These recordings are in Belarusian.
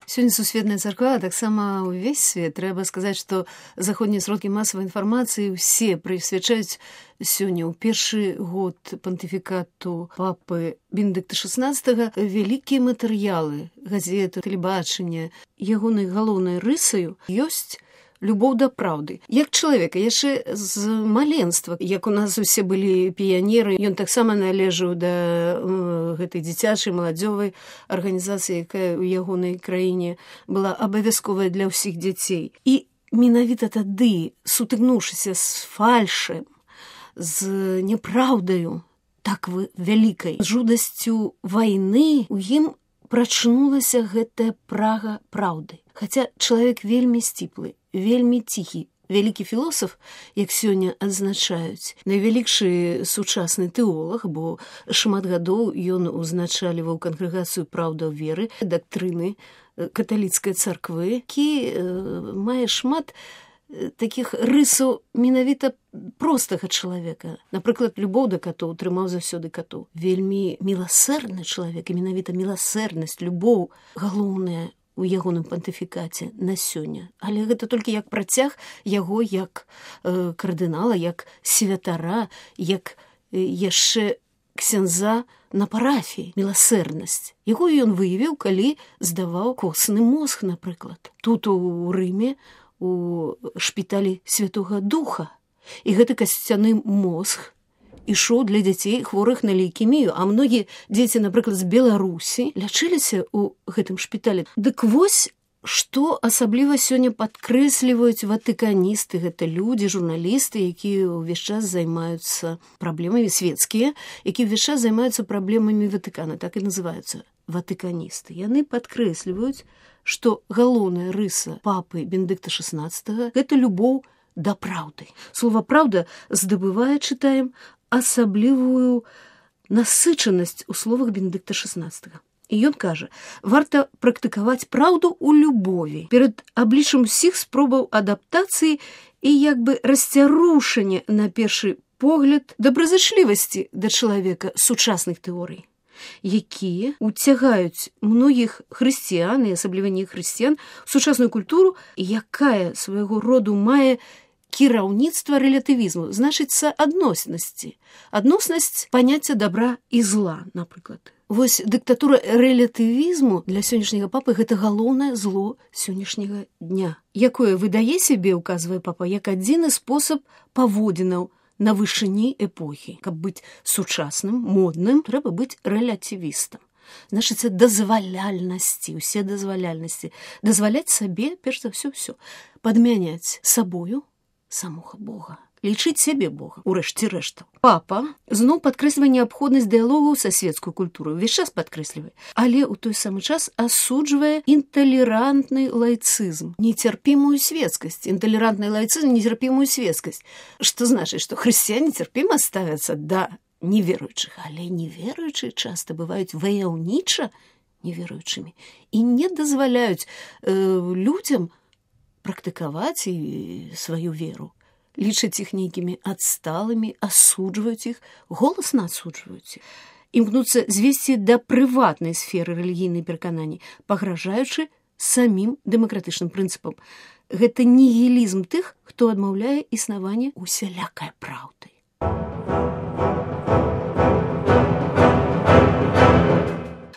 Сёння сусветная царква, таксама ўвесь свет. Трэба сказаць, што заходнія сродкі масавай інфармацыі ўсе прысвячаюць сёння ў першы год пантыфікату папы Бенедыкта XVI вялікія матэрыялы, газеты, тэлебачання. Ягонай галоўнай рысаю ёсць любоў да праўды. Як чалавека, яшчэ з маленства, як у нас усе былі піянеры, ён таксама належаў да гэтай дзіцячай маладзёвай арганізацыі, якая ў ягонай краіне была абавязковая для ўсіх дзяцей. І менавіта тады, сутыкнуўшыся з фальшем, з няпраўдаю, так вялікай, жудасцю вайны, у ім прачнулася гэтая прага праўды. Хаця чалавек вельмі сціплы, вельмі ціхі, вялікі філосаф, як сёння адзначаюць, найвялікшы сучасны тэолог, бо шмат гадоў ён узначаліваў кангрэгацыю праўда веры, дактрыны каталіцкай царквы, які мае шмат такіх рысаў менавіта простага чалавека. Напрыклад, любоў да катоў, трымаў заўсёды катоў. Вельмі міласэрны чалавек, і менавіта міласэрнасць, любоў галоўная у ягоным пантыфікаце на сёння. Але гэта толькі як працяг яго як кардынала, як святара, як яшчэ ксяндза на парафіі. Міласэрнасць. Якую ён выявіў, калі здаваў костны мозг, напрыклад. Тут у Рыме, у шпіталі Святога Духа. І гэты касцяны мозг ішоў для дзяцей хворых на лейкемію, а многія дзеці, напрыклад, з Беларусі лячыліся ў гэтым шпіталі. Дык вось, што асабліва сёння падкрэсліваюць ватыканісты, гэта людзі, журналісты, якія ўвесь час займаюцца праблемамі светскія, якія ўвесь час займаюцца праблемамі Ватыкана, так і называюцца ватыканісты. Яны падкрэсліваюць, што галоўная рыса папы Бенедыкта XVI – гэта любоў да праўды. Слова «праўда» здабывае, чытаем, асаблівую насычанасць у словах Бенедыкта XVI. І ён кажа, варта практыкаваць праўду ў любові перад абліччам усіх спробаў адаптацыі і як бы расцярушання на першы погляд добразычлівасці да чалавека сучасных тэорый, якія уцягаюць многіх хрысціян, і асабліва не хрысціян, у сучасную культуру, якая свайго роду мае кіраўніцтва рэлятывізму, значыцца адноснасці. Адноснасць паняцця добра і зла, напрыклад. Вось дыктатура рэлятывізму для сённяшняга папы гэта галоўнае зло сённяшняга дня, якое выдае сябе, указвае папа, як адзіны спосаб паводзінаў на вышыні эпохі. Каб быць сучасным, модным, трэба быць рэлятывістам. Значыцца, дазваляльнасці, усе дазваляльнасці. Дазваляць сабе, перш за ўсё, падмяняць сабою самога Бога. Лічыць сябе Бога, урэшце рэштаў. Папа зноў падкрэслівае неабходнасць дыялогу са светскую культуру, увесь час падкрэслівае, але ў той самы час асуджвае інталерантны лайцызм, нецярпімую светскасць, інталерантны лайцызм, нецярпімую светскасць. Што значыць, што хрысціяне цярпіма ставяцца да неверуючых, але неверуючыя часта бываюць ваяўніча неверуючымі і не дазваляюць людзям практыкаваць сваю веру. Лічаць іх нейкімі адсталымі, асуджваюць іх, голасна асуджваюць іх. Імкнуцца звесці да прыватнай сферы рэлігійнай перакананні, пагражаючы самім дэмакратычным прынцыпам. Гэта нігілізм тых, хто адмаўляе існаванне усялякай праўды.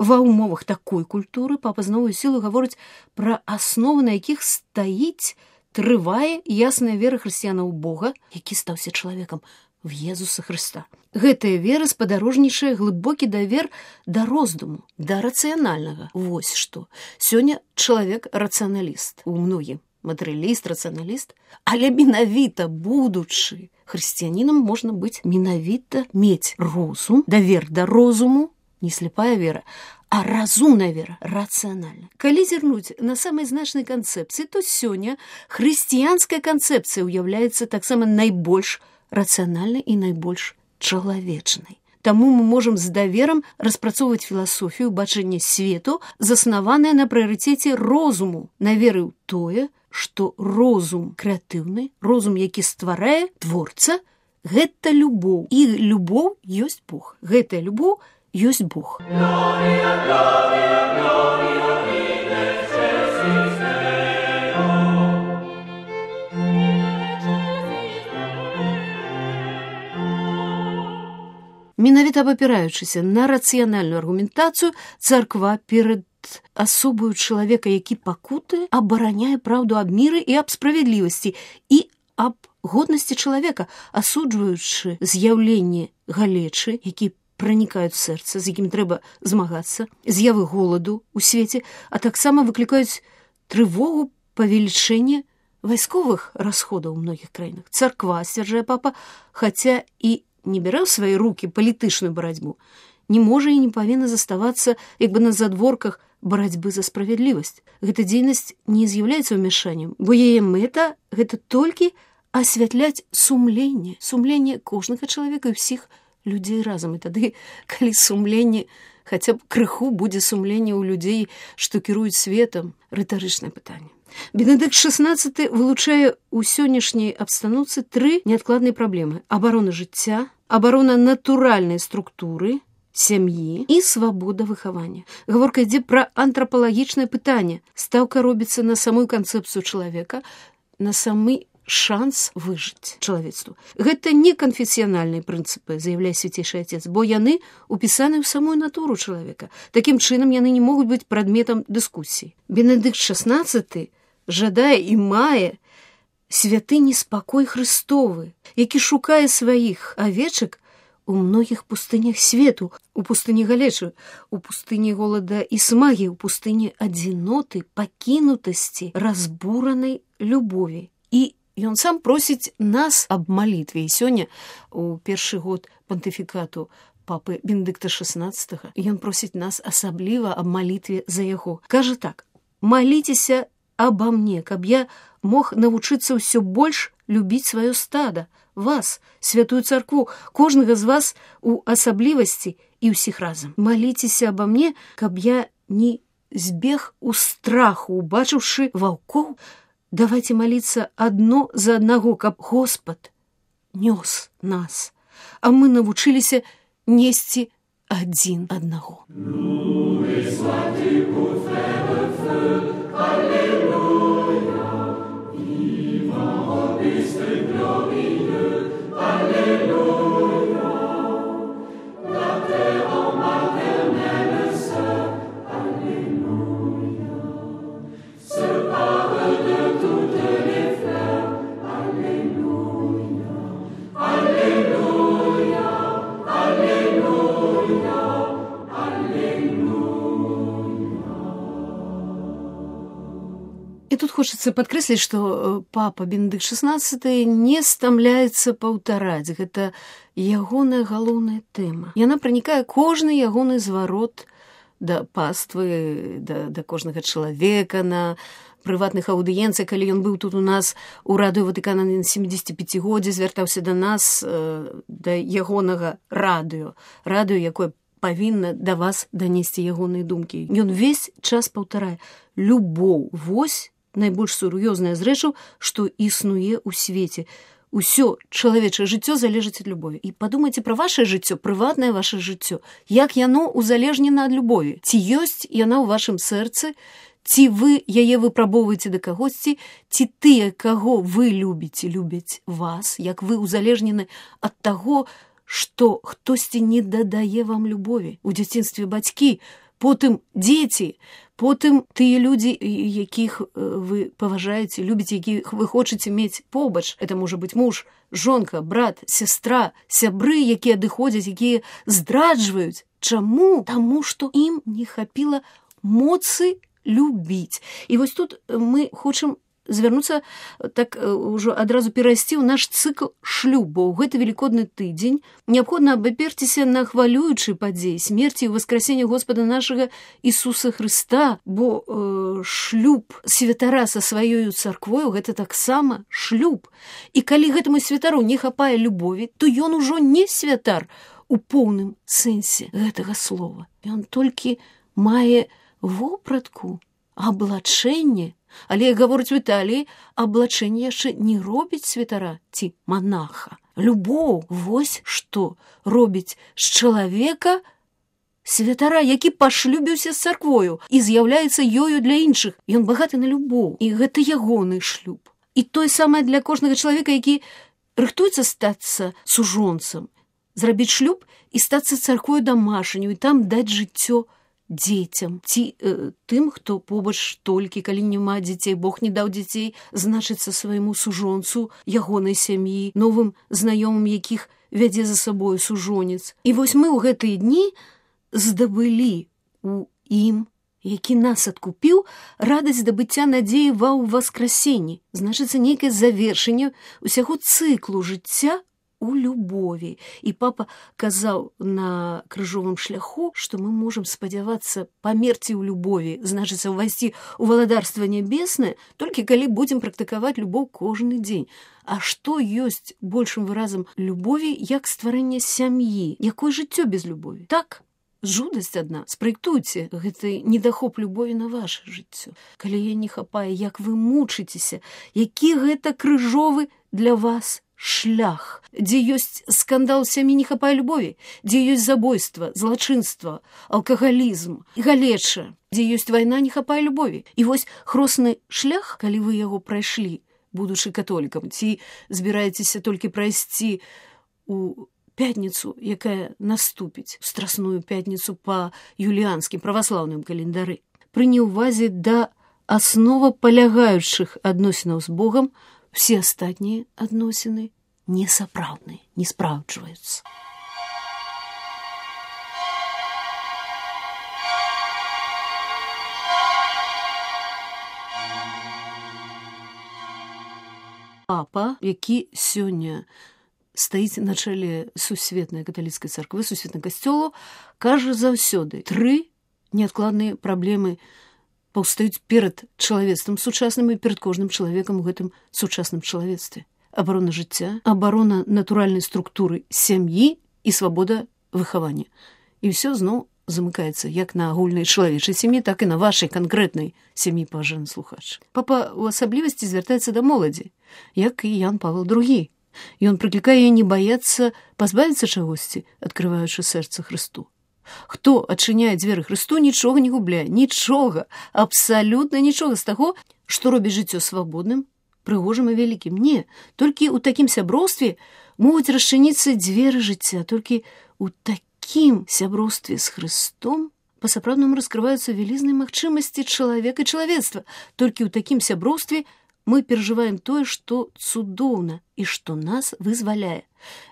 Ва ўмовах такой культуры папа з новую сілу гаворыць пра асновы, на якіх стаіць, трывае ясная вера хрысціянаў у Бога, які стаўся чалавекам, в Езуса Хрыста. Гэтая вера спадарожнічае глыбокі давер да роздуму, да рацыянальнага. Вось што. Сёння чалавек рацыяналіст. У многім матэрыяліст, рацыяналіст. Але менавіта будучы хрысціянінам можна быць менавіта мець розум, давер да розуму, не слепая вера, а разумная вера, рацыянальная. Калі зірнуць на самай значнай канцэпцыі, то сёння хрысціянская канцэпцыя ўяўляецца таксама найбольш рацыянальнай і найбольш чалавечнай. Таму мы можам з даверам распрацоўваць філасофію бачання свету, заснаваная на прыярытэце розуму, на веры ў тое, што розум крэатыўны, розум, які стварае творца, гэта любоў. І любоў ёсць Бог. Гэтая любоў ёсць Бог. Менавіта абапіраючыся на рацыянальную аргументацыю, царква перад асобаю чалавека, які пакутае, абараняе праўду аб міры і аб справядлівасці і аб годнасці чалавека, асуджваючы з'яўленне галечы, які пранікаюць сэрца, з якім трэба змагацца, з'явы голаду ў свеце, а таксама выклікаюць трывогу павелічэння вайсковых расходаў у многіх краінах. Царква, сцвярджае папа, хаця і не бярэ ў свае рукі палітычную барацьбу, не можа і не павінна заставацца як бы на задворках барацьбы за справядлівасць. Гэта дзейнасць не з'яўляецца ўмяшаннем, бо яе мэта – гэта толькі асвятляць сумленне кожнага чалавека і ўсіх людзей разам. І тады, калі сумленне, хаця б крыху будзе сумленне ў людзей, што кіруюць светам, рытарычнае пытанне. Бенедыкт XVI вылучае ў сённяшняй абстаноўцы 3 неадкладныя праблемы: абарона жыцця, абарона натуральнай структуры сям'і і свабода выхавання. Гаворка ідзе пра антрапалагічнае пытанне. Стаўка робіцца на самую канцэпцыю чалавека, на самы шанс выжыць чалавецтву. Гэта не канфесіянальныя прынцыпы, заяўляе свяцейшы Отец, бо яны упісаны ў самую натуру чалавека. Такім чынам яны не могуць быць прадметам дыскусіі. Бенедыкт XVI жадае і мае святыні спакой Христовы, які шукае сваіх авечак у многіх пустынях свету, у пустыні галечы, у пустыні голада і смагі, у пустыні адзіноты, пакінутасці, разбуранай любові. І ён сам просіць нас аб малітве. І сёння, у першы год пантыфікату папы Бенедыкта XVI, ён просіць нас асабліва аб малітве за яго. Кажа так: «Маліцеся аба мне, каб я мог навучыцца ўсё больш любіць сваё стада, вас, святую царкву, кожнага з вас у асаблівасці і ўсіх разам. Маліцеся аба мне, каб я не збег у страху, убачыўшы ваўкоў. Давайте молиться одно за одного, каб Господ нёс нас, а мы навучыліся несці адзін аднаго». І тут хочацца падкрэсліць, што папа Бенедыкт XVI не стамляецца паўтараць. Гэта ягоная галоўная тэма. Яна пранікае кожны ягоны зварот да паствы, да кожнага чалавека, на прыватных аўдыенцыях. Калі ён быў тут у нас у радыё Ватыкана на 75-годзе, звяртаўся да нас, да ягонага радыё, якое павінна да вас данесці ягоныя думкі. Ён увесь час паўтарае: любоў, вось найбольш сур'ёзная з рэчаў, што існуе ў свеце. Усё чалавечае жыццё залежыць ад любові. І падумайце пра вашае жыццё, прыватнае ваше жыццё. Як яно узалежнена ад любові? Ці ёсць яна ў вашым сэрцы? Ці вы яе выпрабоўваеце да кагосьці? Ці тыя, каго вы любіце, любяць вас? Як вы узалежнены ад таго, што хтосьці не дадае вам любові? У дзяцінстве бацькі, потым дзеці, потым тыя людзі, якіх вы паважаеце, любіце, якіх вы хочаце мець побач. Это можа быць муж, жонка, брат, сястра, сябры, якія адыходзяць, якія здраджваюць. Чаму? Таму, што ім не хапіла моцы любіць. І вось тут мы хочам звярнуцца, так ужо адразу перайсці ў наш цыкл шлюбу. У гэты велікодны тыдзень неабходна абаперціся на хвалюючыя падзеі смерці і воскресення Господа нашага Ісуса Хрыста, бо шлюб святара са сваёю царквою – гэта таксама шлюб. І калі гэтаму святару не хапае любові, то ён ужо не святар у поўным сэнсе гэтага слова. Ён толькі мае вопратку, аблачэнне. Але, як гаворыць Віталій, аблачэнне яшчэ не робіць святара ці манаха. Любоў, вось што робіць з чалавека святара, які пашлюбіўся з царквою і з'яўляецца ёю для іншых. Ён багаты на любоў, і гэта ягоны шлюб. І тое самае для кожнага чалавека, які рыхтуецца стацца сужонцам, зрабіць шлюб і стацца царквою дамашняю, і там даць жыццё дзецям, ці тым, хто побач толькі, калі няма дзяцей, Бог не даў дзяцей, значыцца свайму сужонцу, ягонай сям'і, новым знаёмым, якіх вядзе за сабою сужонец. І вось мы ў гэтыя дні здабылі у ім, які нас адкупіў, радасць здабыцця надзеі ва ўваскрасенні, значыцца нейкае завершэнне ўсяго цыклу жыцця у любові. І папа казаў на крыжовым шляху, што мы можам спадзявацца памерці ў любові, значыцца ўвайсці ў валадарства нябеснае, толькі калі будзем практыкаваць любоў кожны дзень. А што ёсць большым выразам любові, як стварэнне сям'і? Якое жыццё без любові? Так, жудасць адна. Спраектуйце гэты недахоп любові на ваше жыццё. Калі яе не хапае, як вы мучыцеся, які гэта крыжовы для вас шлях, дзе ёсць скандал сям'і, не хапае любові, дзе ёсць забойства, злачынства, алкагалізм, галеча, дзе ёсць вайна, не хапае любові. І вось хросны шлях, калі вы яго прайшлі, будучы католікам, ці збіраецеся толькі прайсці у пятніцу, якая наступіць, страсную пятніцу па юліанскім праваслаўным календары, пры неўвазе да асновапалягаючых адносінаў з Богам, все астатнія адносіны несапраўдныя, не спраўджваюцца. Папа, які сёння стаіць на чале сусветнай каталіцкай царквы, сусветнага касцёла, кажа заўсёды: 3 неадкладныя праблемы паўстаюць перад чалавецтвам сучасным і перад кожным чалавекам у гэтым сучасным чалавецтве. Абарона жыцця, абарона натуральнай структуры сям'і і свабода выхавання. І ўсё зноў замыкаецца як на агульнай чалавечай сям'і, так і на вашай канкрэтнай сям'і, паважаны слухач. Папа ў асаблівасці звяртаецца да моладзі, як і Ян Павел II. Ён прыклікае не баяцца пазбавіцца чагосьці, адкрываючы сэрца Хрысту. Хто адчыняе дзверы Хрысту, нічога не губляе, нічога, абсалютна нічога з таго, што робіць жыццё свабодным, прыгожым і вялікім. Не, толькі ў такім сяброўстве могуць расчыніцца дзверы жыцця, толькі ў такім сяброўстве з Хрыстом па-сапраўднаму раскрываюцца вялізныя магчымасці чалавека і чалавецтва. Толькі ў такім сяброўстве мы перажываем тое, што цудоўна і што нас вызваляе.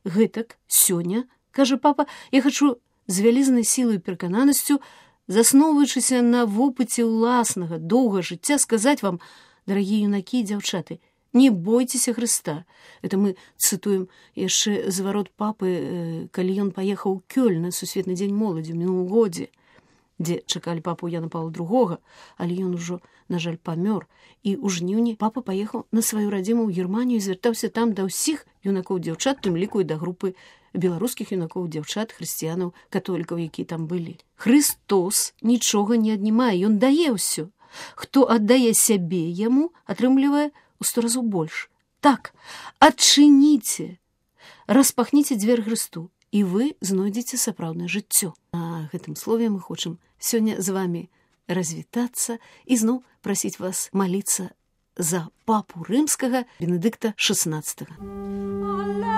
Гэтак сёння, кажа папа, я хачу з вялізнай сілай і перакананасцю, засноўваючыся на вопыце ўласнага доўга жыцця, сказаць вам, дарагія юнакі і дзяўчаты, не бойцеся Хрыста. Это мы цытуем яшчэ зварот папы, калі ён паехаў у Кёльн на сусветны дзень моладзі ў мінулым годзе, дзе чакалі папу Яна Павла II, але ён ужо, на жаль, памёр. І ў жніўні папа паехаў на сваю радзіму ў Германію і звяртаўся там да ўсіх юнакоў-дзяўчат, тым ліку і да групы беларускіх юнакоў-дзяўчат, хрысціянаў, католікаў, якія там былі. Хрыстос нічога не аднімае, ён дае ўсё. Хто аддае сябе яму, атрымлівае ў 100 разоў больш. Так, адчыніце, распахніце дзверы Хрысту, і вы знойдзеце сапраўднае жыццё. На гэтым слове мы хочам сёння з вамі развітацца і зноў прасіць вас маліцца за папу рымскага Бенедыкта XVI.